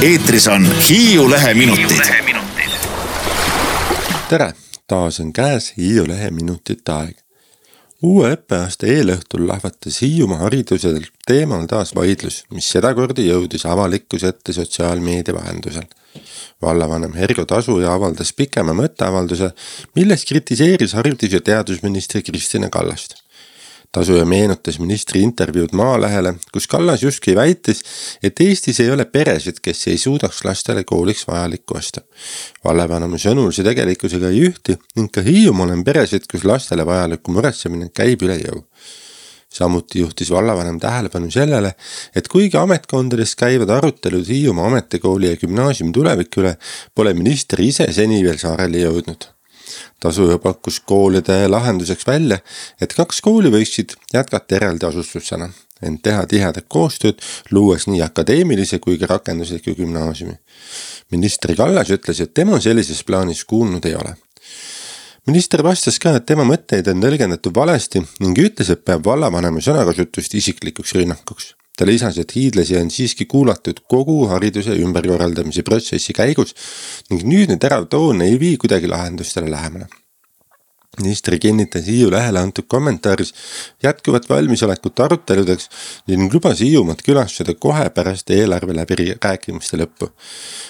Eetris on Hiiu Lehe minutid. Tere, taas on käes Hiiu Lehe minutite aeg. Uue õppeaasta eelõhtul lahvatas Hiiumaa haridusel teemal taas vaidlus, mis sedakordi jõudis avalikkuse ette sotsiaalmeedia vahendusel. Vallavanem Hergo Tasuja avaldas pikema mõtteavalduse, milles kritiseeris haridus- ja teadusministri Kristina Kallast. Tasuja meenutas ministri intervjuud Maalehele, kus Kallas justkui väitis, et Eestis ei ole peresid, kes ei suudaks lastele kooliks vajalikku osta. Vallavanema sõnul see tegelikkusega ei ühti ning ka Hiiumaal on peresid, kus lastele vajalikku muretsemine käib üle jõu. Samuti juhtis vallavanem tähelepanu sellele, et kuigi ametkondades käivad arutelud Hiiumaa ametikooli ja gümnaasiumi tuleviku üle, pole minister ise seni veel saarele jõudnud. Tasuja pakkus koolide lahenduseks välja, et 2 kooli võiksid jätkata eraldi asustusena, ent teha tihedat koostööd, luues nii akadeemilise kui ka rakendusliku gümnaasiumi. Minister Kallas ütles, et tema sellises plaanis kuulnud ei ole. Minister vastas ka, et tema mõtteid on tõlgendatud valesti ning ütles, et peab vallavanema sõnakasutust isiklikuks rünnakuks. Ta lisas, et hiidlasi on siiski kuulatud kogu hariduse ümberkorraldamise protsessi käigus ning nüüdne terav toon ei vii kuidagi lahendustele lähemale. Minister kinnitas Hiiu Lehele antud kommentaaris jätkuvat valmisolekut aruteludeks ning lubas Hiiumaad külastada kohe pärast eelarve läbirääkimiste lõppu.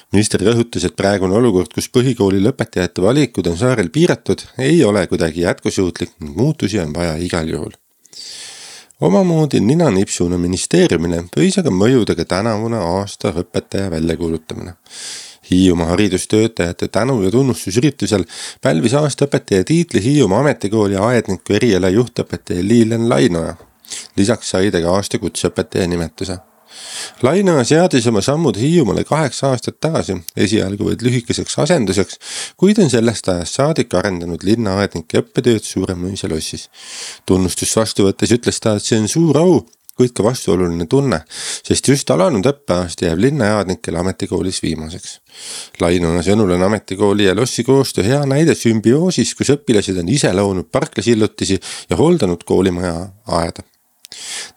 Minister rõhutas, et praegune olukord, kus põhikooli lõpetajate valikud on saarel piiratud, ei ole kuidagi jätkusuutlik ning muutusi on vaja igal juhul. Omamoodi ninanipsuna ministeeriumile võis aga mõjuda ka tänavune aasta õpetaja väljakuulutamine. Hiiumaa haridustöötajate tänu- ja tunnustusüritusel pälvis aasta õpetaja tiitli Hiiumaa ametikooli aedniku eriala juhtõpetaja Liilen Lainoja. Lisaks sai ta ka aasta kutseõpetaja nimetuse. Lainoja seadis oma sammud Hiiumaale 8 aastat tagasi, esialgu vaid lühikeseks asenduseks, kuid on sellest ajast saadik arendanud linnaaednike õppetööd Suuremõisa lossis. Tunnustust vastu võttes ütles ta, et see on suur au, kuid ka vastuoluline tunne, sest just alanud õppeaasta jääb linnajaadnikele ametikoolis viimaseks. Lainoja sõnul on ametikooli ja lossi koostöö hea näide sümbioosis, kus õpilased on ise loonud parklasillutisi ja hooldanud koolimaja aeda.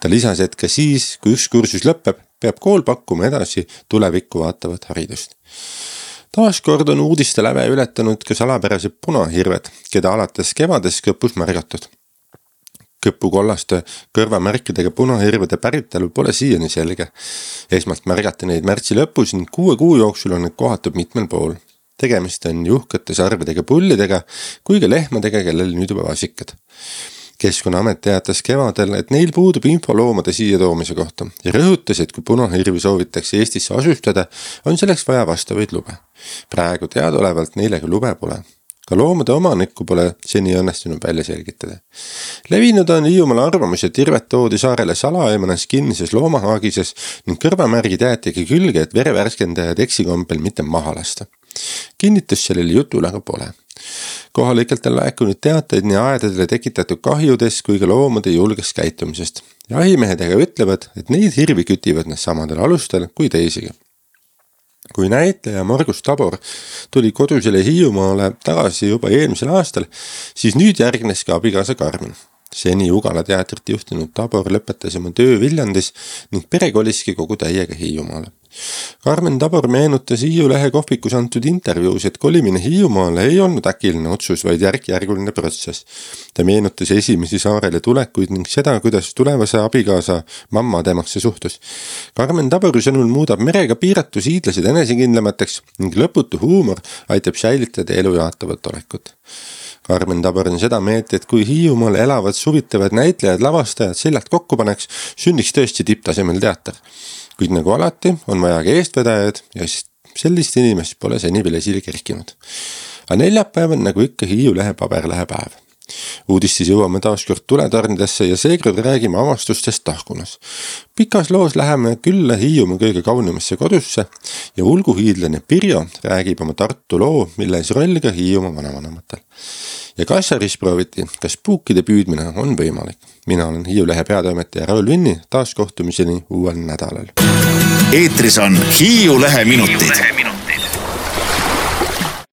Ta lisas, et ka siis, kui üks kursus lõpeb, peab kool pakkuma edasi tulevikku vaatavat haridust. Taaskord on uudiste läve ületanud ka salapärased punahirved, keda alates kevades Kõpus märgatud. Kõpu kollaste kõrvamärkidega punahirvede päritelu pole siiani selge. Esmalt märgati neid märtsi lõpus ning 6 kuu jooksul on need kohatud mitmel pool. Tegemist on juhkate sarvedega pullidega kui ka lehmadega, kellel nüüd juba vasikad. Keskkonnaamet teatas kevadel, et neil puudub info loomade siia toomise kohta ja rõhutas, et kui punahirvi soovitakse Eestisse asustada, on selleks vaja vastavaid lube. Praegu teadaolevalt neile ka lube pole. Ka loomade omanikku pole seni õnnestunud välja selgitada. Levinud on Hiiumaal arvamus, et hirved toodi saarele salaeemanas kinnises loomahaagises ning kõrvamärgid jäetigi külge, et verevärskendajad eksikombel mitte maha lasta. Kinnitus sellele jutul aga pole. Kohalikelt on laekunud teateid nii aedadele tekitatud kahjudes kui ka loomade julgest käitumisest. Jahimehed aga ütlevad, et neid hirvi kütivad nad samadel alustel kui teisigi. Kui näitleja Margus Tabor tuli kodusele Hiiumaale tagasi juba eelmisel aastal, siis nüüd järgnes ka abikaasa Karmen. Seni Ugala teatrit juhtinud Tabor lõpetas oma töö Viljandis ning pere koliski kogu täiega Hiiumaale. Karmen Tabor meenutas Hiiu Lehe kohvikus antud intervjuus, et kolimine Hiiumaale ei olnud äkiline otsus, vaid järk-järguline protsess. Ta meenutas esimesi saarele tulekuid ning seda, kuidas tulevase abikaasa mamma temasse suhtus. Karmen Tabori sõnul muudab merega piiratus hiidlased enesekindlamateks ning lõputu huumor aitab säilitada elu jaatavat olekut. Karmen Tabor on seda meelt, et kui Hiiumaal elavad suvitavad näitlejad, lavastajad seljad kokku paneks, sünniks tõesti tipptasemel teater. Kuid nagu alati on vaja ka eestvedajad ja sellist inimest pole seni veel esile kerkinud. Aga neljapäev on nagu ikka Hiiu Lehe paberlehe päev. Uudistis jõuame taaskord tuletarnidesse ja seekord räägime avastustest Tahkunas. Pikas loos läheme külla Hiiumaa kõige kaunimasse kodusse ja ulguhiidlane Pirjo räägib oma Tartu loo, milles roll ka Hiiumaa vanavanematel. Ja Kassaris prooviti, kas puukide püüdmine on võimalik. Mina olen Hiiu Lehe peatoimetaja Raul Vinni, taas kohtumiseni uuel nädalal. Eetris on Hiiu Lehe minutid.